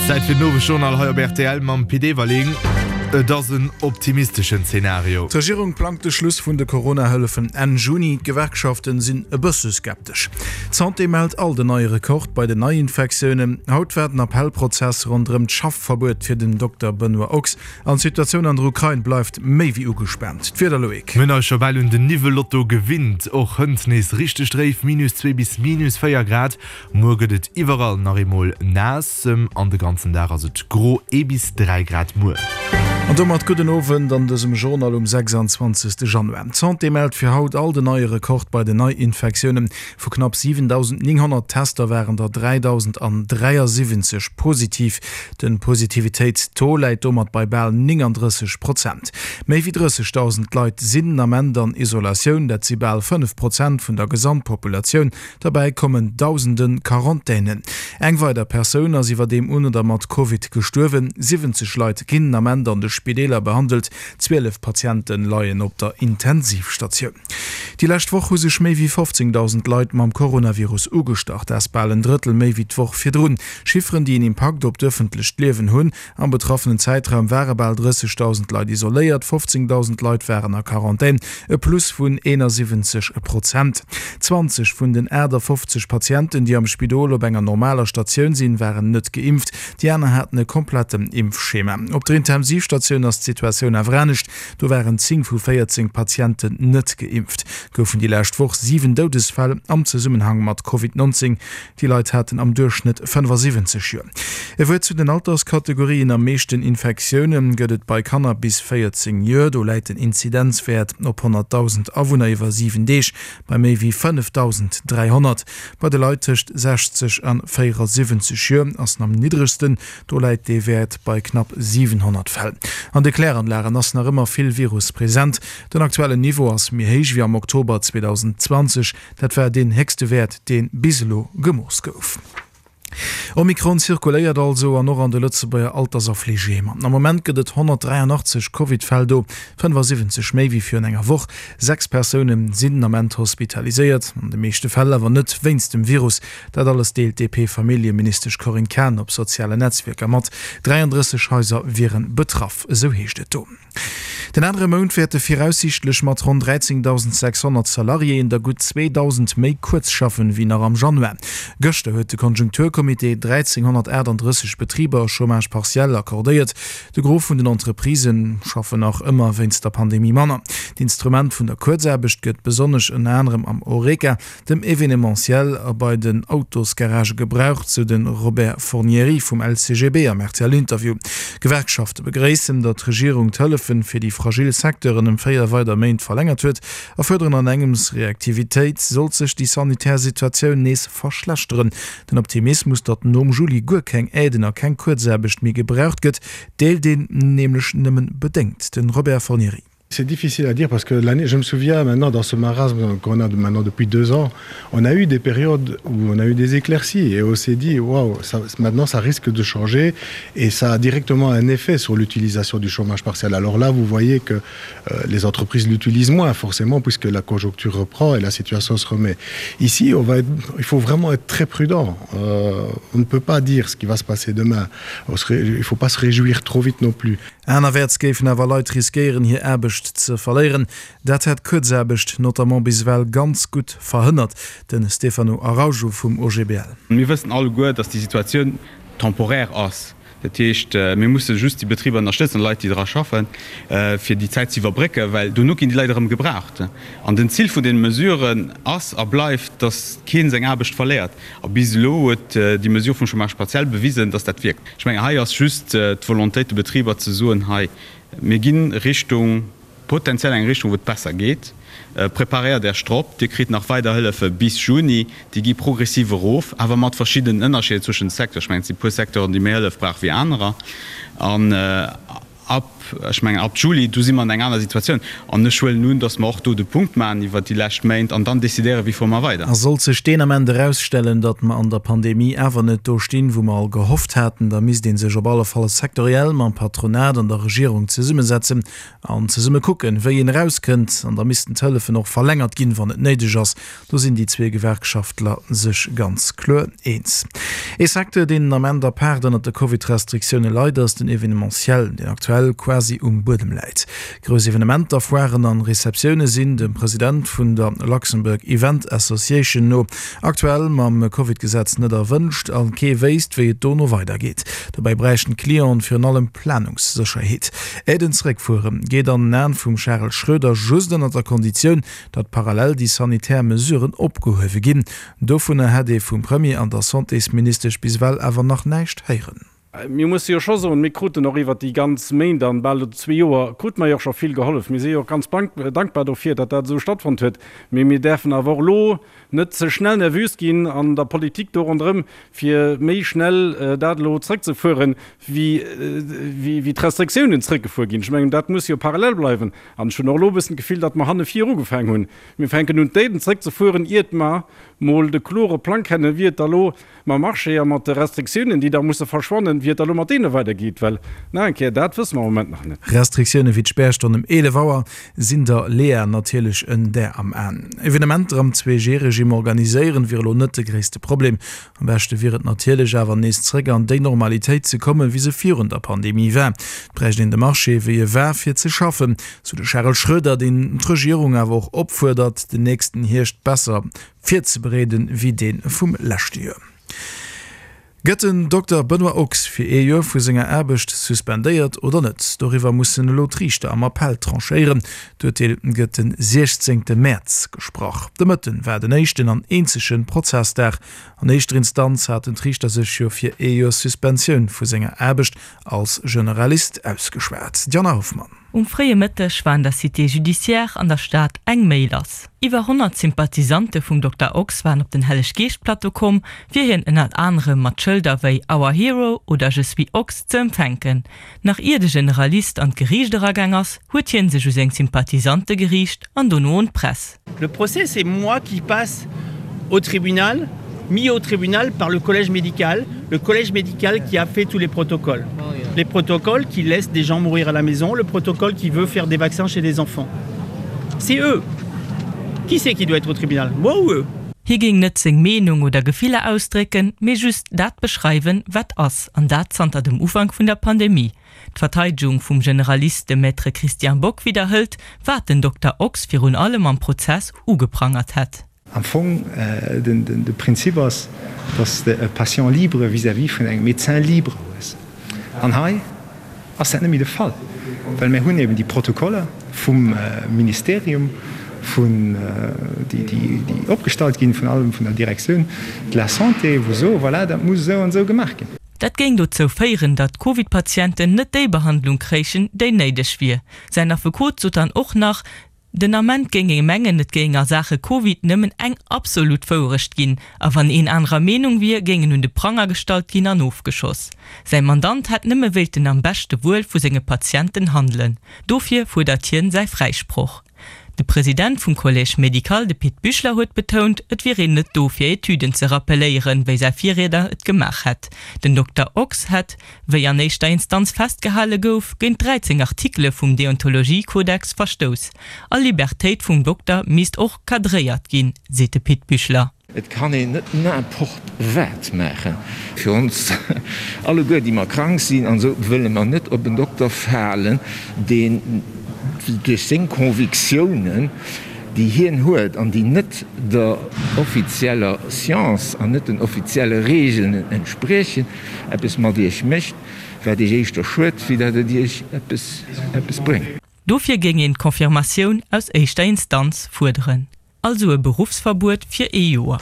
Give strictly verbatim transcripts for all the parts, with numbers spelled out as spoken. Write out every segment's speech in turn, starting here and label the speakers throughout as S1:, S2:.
S1: Zäit fir den Owesjournal hei op rtl mam Pit Everling. Et ass en optimisteschen Zenario.
S2: D'Regierung plangt de Schluss vun de Corona-Hëllefen Enn Juni. D'Gewerkschaften sinn e bësse skeptesch. D'Santé mellt alt en neie Rekord bei den Neiinfektiounen. Haut war den Appellprozess ronderëm d'Schaffverbuet fir den Dokter Benoît Ochs. An d'Situatioun an der Ukrain bleift méi wéi ugespaant. D'Wieder, Loïc.
S1: Mir hunn eis scho bal un den Niwwellotto gewinnt. Och hënt nees richteg dréif, minus zwee bis minus véier Grad. Muer gëtt et iwwerall nach eemol naass an de ganzen Dag ass et gro, ee bis dräi Grad muer.
S2: An domat gudden Owend an dësem Journal um sechsanzwanzegste Januar. D'Santé mellt fir haut alt en neie Rekord bei den Neiinfektiounen. Vu knapp siwendausendnénghonnert Tester waren der dräidausendräiasiwwenzeg positiv. De Positivitéitstaux läit domat bei bal néngandrësseg Prozent. Méi wéi drëssegdausend Leit sinn den Ament an Isolatioun, dat si bal fënnef Prozent vun der Gesamtpopulatioun. Derbäi kommen dausende Quarantänen. Eng weider Persoun ass iwwerdeem un oder mat Covid gestuerwen. Siwwenzeg Leit ginn den Ament an de Spideeler behandelt, zwielef Patiente leien op der Intensivstatioun. Déi lescht Woch hu sech méi wéi fofzéngdausend Leit mam Coronavirus ugestach. Dat ass bal en Drëttel méi wéi d'Woch virdrun. Chifferen, déi en Impakt op d'ëffentlecht Liewen hunn. Am betraffenen Zäitraum ware bal drëssegdausend Leit isoléiert, fofzéngdausend Leit waren a Quarantän, e Plus vun eenasiwwenzeg Prozent. Zwanzeg vun den aachtafofzeg Patienten, déi am Spidol op enger normaler Statioun sinn, waren net geimpft. Déi aner haten e kompletten Impfschema. Op der Intensivstatioun ass d'Situatioun awer anescht, do waren zéng vu véierzéng Patienten net geimpft. Goufen déi lescht Woch siwen Doudesfäll am Zesummenhang mat Covid neunzéng. Déi Leit haten am Duerchschnëtt fënnefasiwwenzeg Joer. E Wuert zu den Alterskategorien, Am meeschten Infektioune gëtt et bei Kanner bis véierzéng Joer. Do läit den Inzidenzwäert op honnertdausend Awunner iwwer siwen Deeg bei méi wéi fënnefdausend dräihonnert. Bei de Leit tëscht sechzeg an véierasiwwenzeg Joer ass en am niddregsten, do läit dee Wäert bei knapp siwenhonnert Fäll. An de Kläranlagen ass nach ëmmer vill Virus present. Den aktuellen Niveau ass méi héich wéi am Oktober zweedausendzwanzeg, dat war deen héchste Wäert, dee bis elo gemooss gouf. Omikron zirkuléiert also an och an de Lëtzebuerger Alters a Fleegeheemer. Am Moment gëtt et honnertdräianachtzeg Covid-Fäll do, fënnefasiwwenzeg méi wéi virun enger Woch. Sechs Persoune sinn den Ament hospitaliséiert, an de meeschte Fäll awer net wéinst dem Virus. Dat alles deelt d'DP-Familljeministesch Corinne Cahen op sozialen Netzwierker mat. dräiandrësseg Haiser wiere betraff, esou heescht et do. Den anere Mount wäerte viraussiichtlech mat ronn dräizéngdausendsechshonnert Salariéen der gutt zweedausend méi kuerz schaffen, wéi nach am Januar. Gëschter huet de Konjunkturcomité dräizénghonnertaachtanddrësseg Betriber Chômage partiel accordéiert. De Gros vun den Entreprisë schaffen nach ëmmer wéinst der Pandemie manner. D'Instrument vun der Kuerzaarbecht gëtt besonnesch ënner anerem am Horeca, dem Evenementiel a bei den Autosgaragë gebraucht, sou de Robert Fornieri vum L C G B am R T L-Interview. D'Gewerkschafte begréissen, datt d'Regierung d'Hëllefe fir déi fragil Secteuren ëm véier weider Méint verlängert huet a fuerderen an engems Reaktivitéit, sollt sech déi sanitär Situatioun nees verschlechteren. Den Optimismus, datt nom Juli guer keng Aiden a keng Kuerzaarbecht méi gebraucht gëtt, deelt een nämlech nëmmen bedéngt. De Robert Fornieri.
S3: C'est difficile à dire parce que l'année, je me souviens maintenant dans ce marasme qu'on a maintenant depuis deux ans, on a eu des périodes où on a eu des éclaircies et on s'est dit waouh, ça, maintenant ça risque de changer et ça a directement un effet sur l'utilisation du chômage partiel. Alors là, vous voyez que euh, les entreprises l'utilisent moins forcément puisque la conjoncture reprend et la situation se remet. Ici, on va être, il faut vraiment être très prudent. Euh, on ne peut pas dire ce qui va se passer demain. On se, il faut pas se réjouir trop vite non plus.
S2: Anerwäerts géifen awer Leit riskéieren, hir Aarbecht ze verléieren. Dat hätt d'Kuerzaarbecht notamment bis ewell ganz gutt verhënnert, de Stefano Araujo vum O G B L.
S4: Mir wëssen alleguer, datt déi Situatioun temporaire ass. Dat heescht, mir musse just déi Betriber ënnerstëtzen, d'Leit, déi dra schaffen, fir déi Zäit ze iwwerbrécken, well dono ginn déi Leit erëm gebraucht. An den Zil vun deene Mesuren ass a bleift, datt kee seng Aarbecht verléiert. A bis elo huet déi Mesure vum Chômage partiel bewisen, datt dat wierkt. Ech mengen, hei ass just d'Volontéit de Betriber ze soen, hei, mir ginn Richtung, potenziell eng Richtung, wou et besser geet, preparéiert Iech drop, Dir kritt nach weider Hëllefe bis Juni, déi gi progressiv erof, awer mat verschiddenen Ënnerscheeder zwëschen de Secteuren. Ech mengen, et si puer Secteuren, déi méi Hëllef brauche wéi anerer. An Ab, ech mengen ab Juli, do si mer an eng aner Situatioun. An ech huelen un, datt mer och do de Punkt maachen iwwert déi lescht Méint an dann decidéieren, wéi fuere mer weider.
S2: A sollt sech deen Ament erausstellen, datt mer an der Pandemie awer net do stinn, wou mer all gehofft haten, da misst ee sech op alle Fall sektoriell mam Patronat an der Regierung zesummesetzen an zesumme kucken, wéi een erauskënnt. An da missten d'Hëllefen och verlängert ginn, wann et néideg ass. Do sinn déi zwee Gewerkschaftler sech ganz kloer eens. Ee Secteur, deen den Ament apaart ënnert de Covid-Restriktioune leit, ass den Evenementiel, deen aktuell quasi um Buedem läit. Grouss Evenementer, Foiren an Receptioune sinn dem President vun der Luxembourg Event Association no aktuell mam Covid-Gesetz net erwënscht a kee wéisst, wéi et dono weidergeet. Dobäi bräichten d'Clienten virun allem Planungssécherheet. Aiden zeréckfuere geet an den Aen vum Charel Schroeder just ënnert der Konditioun, datt parallel déi sanitär Mesuren opgehuewe ginn. Dovunner hätt ee vum Premier an der Santésministesch bis ewell awer nach näischt héieren.
S5: Mir musse jo scho soen, mir kruten och iwwert déi ganz Méint an bal elo zwee Joer, krute mer jo och scho vill gehollef. Mir si jo och ganz dankbar dofir, datt dat esou stattfonnt huet. Mee mir däerfen awer och elo net ze schnell nervös ginn an der Politik do ronderëm, fir méi schnell dat elo zrëckzefueren, wéi d'Restriktiounen zrëckgefuer ginn. Ech mengen, dat muss jo parallel bleiwen. An ech hunn och elo e bëssen d'Gefill, datt mer hanne vir ugefaangen hunn. Mir fänken un, d'Aiden zrëckzefueren, iert mer mol de klore Plang kennen, wéi et da elo mam Marché a mat de Restriktiounen, déi da musse verschwannen, wéi et da elo mat deene weidergeet. Well, nach eng Kéier, dat wësse mer am Moment nach net.
S2: Restriktioune wéi d'Spärstonn ëm eelef Auer sinn der Lea natierlech en Där am Aen. Evenementer am Zwee-G-Regime organiséieren, wier elo net de gréisste Problem. Am beschte wier et natierlech awer nees zréck an déi Normalitéit ze kommen, wéi se virun der Pandemie war. Et bräicht een de Marché wéi e war fir ze schaffen, sou de Charel Schroeder, deen d'Regierung awer och opfuerdert, den nächsten Hierscht besser virzebereeden wéi dee vum leschte Joer. Gëtt den Dokter Benoît Ochs fir ee Joer vu senger Aarbecht suspendéiert oder net? Doriwwer mussen elo d'Riichter am Appell tranchéieren. D'Urteel gëtt de siechzéngte Mäerz gesprach. De Mëtten war den éischten an eenzege Prozessdag. An éischter Instanz haten d'Riichter sech jo fir ee Joer Suspensioun vu senger Aarbecht als Generalist ausgeschwat. D'Jana Hoffmann.
S6: Um fréie Mëtteg war an der Cité judiciaire an der Stad eng Méi lass. Iwwer honnert Sympathisante vum Dokter Ochs waren op den Helleg-Geescht-Plateau komm, fir hien ënnert anerem mat Schëlder wéi Our Hero oder Je suis Ochs ze empfänken. Nach ier de Generalist an d'Geriicht eragaang ass, huet hien sech u seng Sympathisante geriicht an dono un d'Press.
S7: Le procès, c'est moi qui passe au tribunal, mis au tribunal par le collège médical, le collège médical qui a fait tous les protocoles. Les protocoles qui laissent des gens mourir à la maison, le protocole qui veut faire des vaccins chez des enfants. C'est eux. Qui c'est qui doit être au tribunal? Moi ou eux?
S6: Hie géing net seng Meenung oder Gefiller ausdrécken, mee just dat beschreiwen, wat ass, an dat zanter dem Ufank vun der Pandemie. D'Verteidegung vum Generalist, de Maître Christian Bock, widderhëlt, wat den Dokter Ochs virun allem am Prozess ugeprangert hätt.
S8: Am Fong, de Prinzip ass, datt s de e Patient libre vis-à-vis vun engem Médecin libre hues. An hei ass dat net méi de Fall, well mir hunn eben déi Protokoller vum Ministerium, vun, déi, déi opgestallt ginn, vun allem vun der Directioun de la Santé, wou soe, voilà, dat muss esou an esou gemaach ginn.
S6: Dat géing dozou féieren, datt Covid-Patienten net déi Behandlung kréichen, déi néideg wier. Säin Affekot sot dann och nach, Den Ament géing ee mengen, et géing a Saache Covid nëmmen eng absolut Wourecht ginn, a wann een anerer Meenung wier, géing en un de Pranger gestallt ginn an ofgeschoss. Säi Mandant hätt nëmme wéilten am beschte Wuel vu senge Patienten handelen. Dofir fuerdert hien säi Fräisproch. De President vum Collège médical, de Pit Büchler, huet betount, et wier een net do fir Etüden ze rappelléieren, wéi säi Virrieder et gemaach hätt. Den Dokter Ochs hätt, wéi an éischter Instanz festgehale gouf, géint dräizéng Artikele vum Deontologiekodex verstouss. All Libertéit vum Dokter misst och cadréiert ginn, seet de Pit Büchler.
S9: Et kann een net n'importe wat maachen. Fir ons alleguer, déi mer krank sinn an esou, wëlle mer net op en Dokter falen, deen duerch seng Convictiounen, déi hien huet an déi net der offizieller Science an net den offizielle Regeln entspriechen, eppes mat iech mécht, wat iech éischter schued, wéi dat et iech eppes bréngt.
S6: Dofir géing een d'Confirmatioun aus éischter Instanz fuerderen. Also e Beruffsverbuet fir ee Joer.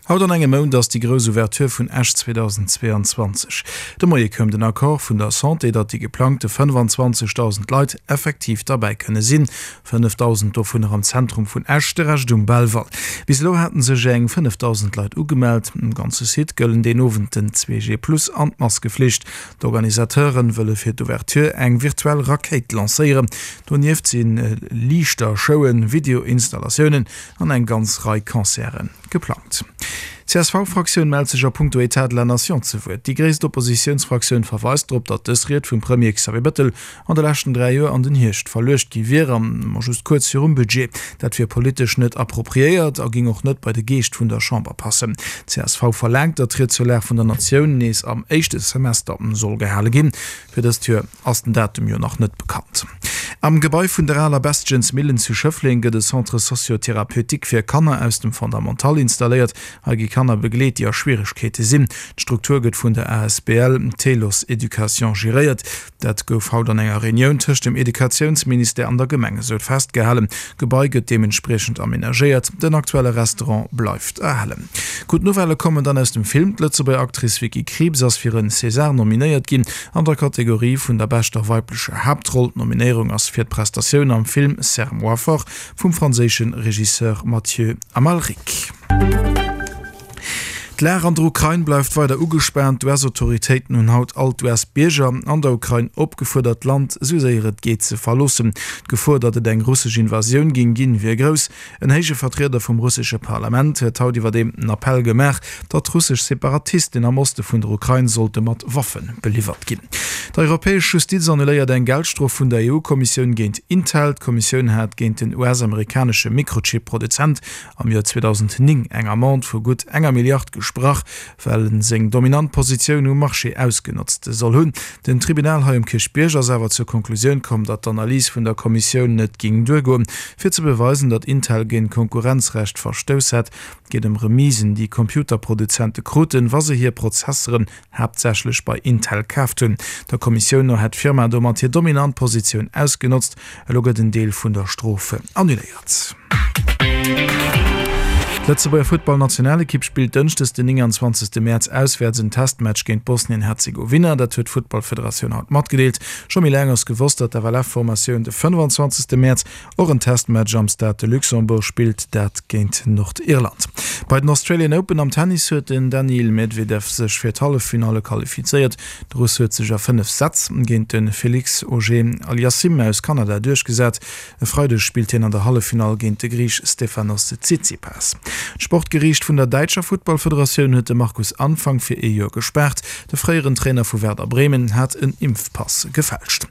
S2: Haut an engem Mount ass déi grouss Ouverture vun Esch zweedausendzweeanzwanzeg. De Moie koum den Accord vun der Santé, datt déi geplangte fënnefanzwanzegdausend Leit effektiv derbäi kënne sinn. Fënnefdausend dovunner am Zentrum vun Esch, de Rescht um Belval. Bis elo haten sech eng fënnefdausend Leit ugemellt. Um ganze Site gëllen deen Owend den zwee G plus an d'Maskeflicht. D'Organisateure wëlle fir d'Ouverture eng virtuell Rakéit lancéieren. Donieft si Liichtershowen, Videoinstallatiounen an eng ganz Rei Concerte geplangt. D'CSV-Fraktioun mellt sech a puncto État de la Nation ze Wuert. Déi gréisst Oppositiounsfraktioun verweist drop, datt dës Ried vum Premier Xavier Bettel an de leschten dräi Joer an den Hierscht verluecht gi wier, an ma just kuerz virum Budget. Dat wier politesch net appropriéiert a géing och net bei de Geescht vun der Chamber passen. D'CSV verlaangt, datt d'Ried zur Lag vun der Natioun nees am éischte Semester soll gehale ginn. Fir dëst Joer ass den Datum jo nach net bekannt. Am Gebai vun der aler Bestgens Millen zu Schëffleng gëtt e Centre socio-thérapeutique fir Kanner aus dem Fondamental installéiert. Hei gi Kanner begleet, déi a Schwieregkeete sinn. D'Struktur gëtt vun der asbl Telos Education geréiert. Dat gouf haut an enger Reunioun tëscht dem Educatiounsministère an der Gemeng esou festgehalen. D'Gebai gëtt deementspriechend amenagéiert. Den aktuelle Restaurant bleift erhalen. Gutt Nouvellë kommen dann aus dem Film, D'Lëtzebuerger Actrice Vicky Krieps ass fir en César nominéiert ginn an der Kategorie vun der beschter weiblecher Haaptroll. D'Nominéierung ass fir d'Prestatioun am Film Serre-moi fort vum franséische Regisseur Mathieu Amalric. D'Lag an der Ukrain bleift weider ugespaant. D'US-Autoritéiten hunn haut all d'US-Bierger an der Ukrain opgefuerdert, d'Land esou séier et geet ze verloossen. D'Gefor, datt et eng russesch Invasioun géing ginn, wier grouss. En héije Vertrieder vum russesche Parlament huet haut iwwerdeem den Appell gemaach, datt russesch Separatisten am Oste vun der Ukrain sollte mat Waffe beliwwert ginn. D'Europäesch Justiz annuléiert eng Geldstrof vun der E U-Kommissioun géint Intel. D'Kommissioun hat géint den U S-amerikanesche Mikrochip-Produzent am Joer zweedausendnéng eng Amende vu gutt enger Milliard gesprach, well en seng dominant Positioun um Marché ausgenotzt soll hunn. Den Tribunal hei um Kierchbierg ass awer zur Konklusioun komm, datt d'Analys vun der Kommissioun net géing duergoen, fir ze beweisen, datt Intel géint Konkurrenzrecht verstouss hätt. Et geet ëm Remisen, déi Computerproduzente kruten, wa se hir Prozesseren haaptsächlech bei Intel kaaft hunn. Der Kommissioun no hätt d'Firma domat hir dominant Positioun ausgenotzt. Elo gëtt en Deel vun der Strof annuléiert. D'Lëtzebuerger Futtballnationalekipp spillt dënschdes den nénganzwanzegste Mäerz auswäerts en Testmatch géint Bosnien-Herzegowina. Dat huet d'Futtballfederatioun haut matgedeelt. Scho méi laang ass gewosst, datt d'F L F-Formatioun de fënnefanzwanzegste Mäerz och en Testmatch am Stade de Luxembourg spillt, dat géint Nordirland. Bei den Australian Open am Tennis huet den Daniil Medvedev sech fir d'Halleffinalle qualifizéiert. De Russ huet sech a fënnef Sätz géint de Felix Auger-Aliassime aus Kanada duerchgesat. E Freideg spillt hien an der Halleffinall géint de Griich Stefanos Tsitsipas. D'Sportgeriicht vun der däitscher Futtballfederatioun huet de Markus Anfang fir ee Joer gespaart. De fréieren Trainer vu Werder Bremen hat en Impfpass gefälscht.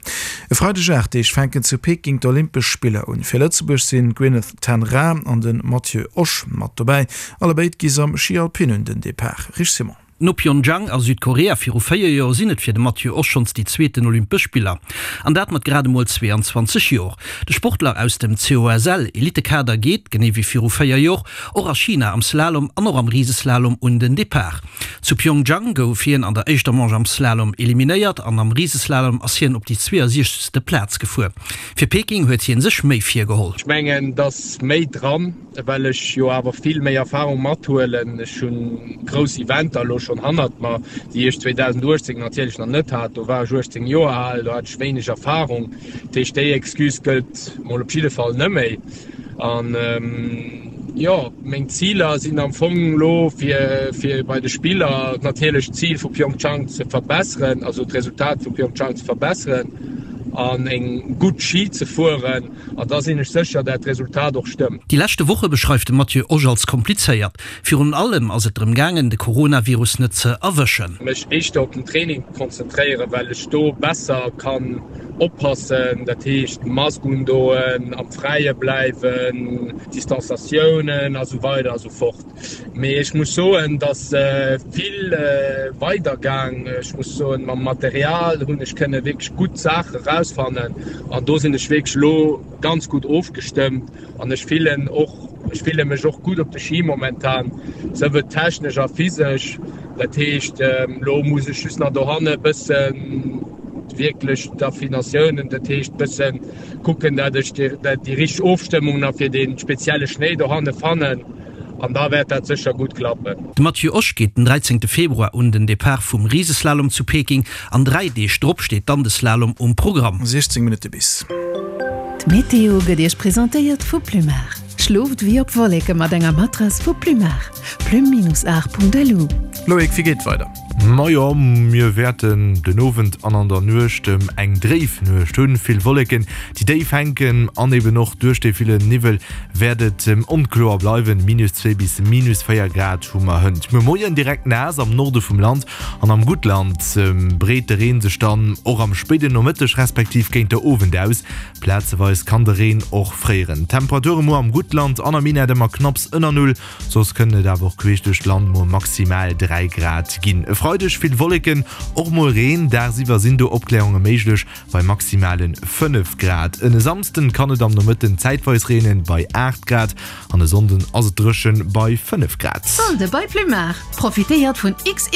S2: E Freideg aacht Deeg fänken zu Peking d'Olympesch Spiller un. Fir Lëtzebuerg sinn d'Gwyneth Ten Raa an de Matthieu Osch mat dobäi. Allebéid gi se am Schi Alpin un den Depart. Rich Simon.
S10: No Pyeongchang a Südkorea viru véier Joer sinn et fir de Matthieu Osch schonns déi zweeten Olympesch Spiller. An dat mat grad emol zweeanzwanzeg Joer. De Sportler aus dem C O S L Elitekader geet, genee wéi viru véier Joer, och a China am Slalom an och am Riseslalom un den Depart. Zu Pyeongchang gouf hien an der éischter Manche am Slalom eliminéiert an am Riseslalom ass hien op déi zweeasiechzegste Plaz gefuer. Fir Peking huet hien sech méi virgeholl.
S11: Ech mengen, et ass méi dran, well ech jo awer vill méi Erfahrung mathuelen. Ech hunn grouss Eventer elo schonn hannert mer, déi ech zweedausenduechtzéng natierlech nach net hat. Do war ech uechtzéng Joer al, do hat ech wéineg Erfahrung. Dat heescht, déi Excuse gëllt mol op jidde Fall net méi. An jo, meng Ziler sinn am Fong elo fir fir bei de Spiller natierlech d'Zil vu Pyeongchang ze verbesseren, also d'Resultat vu Pyeongchang ze verbesseren an eng gutt Schi ze fueren. An da sinn ech sécher, dat d'Resultat och stëmmt.
S10: Déi leschte Woche beschreift de Matthieu Osch als komplizéiert. Virun allem ass et drëm gaangen, de Coronavirus net ze erwëschen.
S11: Mech éischter op den Training konzentréieren, well ech do besser kann oppassen, dat heescht Mask undoen, am Fräie bleiwen, Distanzatiounen a sou weider a sou fort. Mee ech muss soen, dass vill weider gaang. Ech muss soen, mam Material hunn ech kënne wierklech gutt Saache rausfannen an do sinn ech wierklech elo ganz gutt ofgestëmmt an ech fillen och, ech fille mech och gutt op de Ski momentan, souwuel technesch a physesch. Dat heescht, elo muss ech just nach dohanne bëssen wierklech d'Affinatiounen, dat heescht bëssen kucken, dat ech déi richteg Ofstëmmung nach fir dee spezielle Schnéi dohanne fannen. an da wäert dat sécher gutt klappen.
S10: De Matthieu Osch geet den dräizéngte Februar un den Depart vum Riseslalom zu Peking an dräi Deeg drop steet dann de Slalom um Programm.
S2: siechzéng Minutte bis.
S12: D'Meteo gëtt Iech presentéiert vu Plumar. Schlooft wéi op Wolleke mat enger Matrass vu Plumar. Plume-art.lu.
S2: Loïc, wéi geet et weider?
S1: Majo, mir wäerten den Owend an an der Nuecht eng dréif Nuecht hunn. Vill Wolleken, déi déif hänken an eben och duerch dee ville Niwwel wäert et onkloer bleiwen. Minus zwee bis minus véier Grad hu mer hënt muer Moien direkt naass am Norde vum Land an am Guttland breet de Reen sech dann och am spéiden Nomëtteg respektiv géint de Owend aus. Plazeweis kann de Reen och fréieren. D'Temperature muer am Guttland an am Minett ëmmer knapps ënner Null, soss kënnen et awer och queesch duerch d'Land mol maximal dräi Grad ginn. E Freideg vill Wolleken, och mol Reen, dagsiwwer sinn do Opklärunge méiglech bei maximale fënnef Grad. En e Samsden kann et am Nomëtten zäitweis reenen bei aacht Grad an e Sonnden ass et dréchen bei fënnef Grad.
S12: Solde bei Plumar! Profitéiert vun X X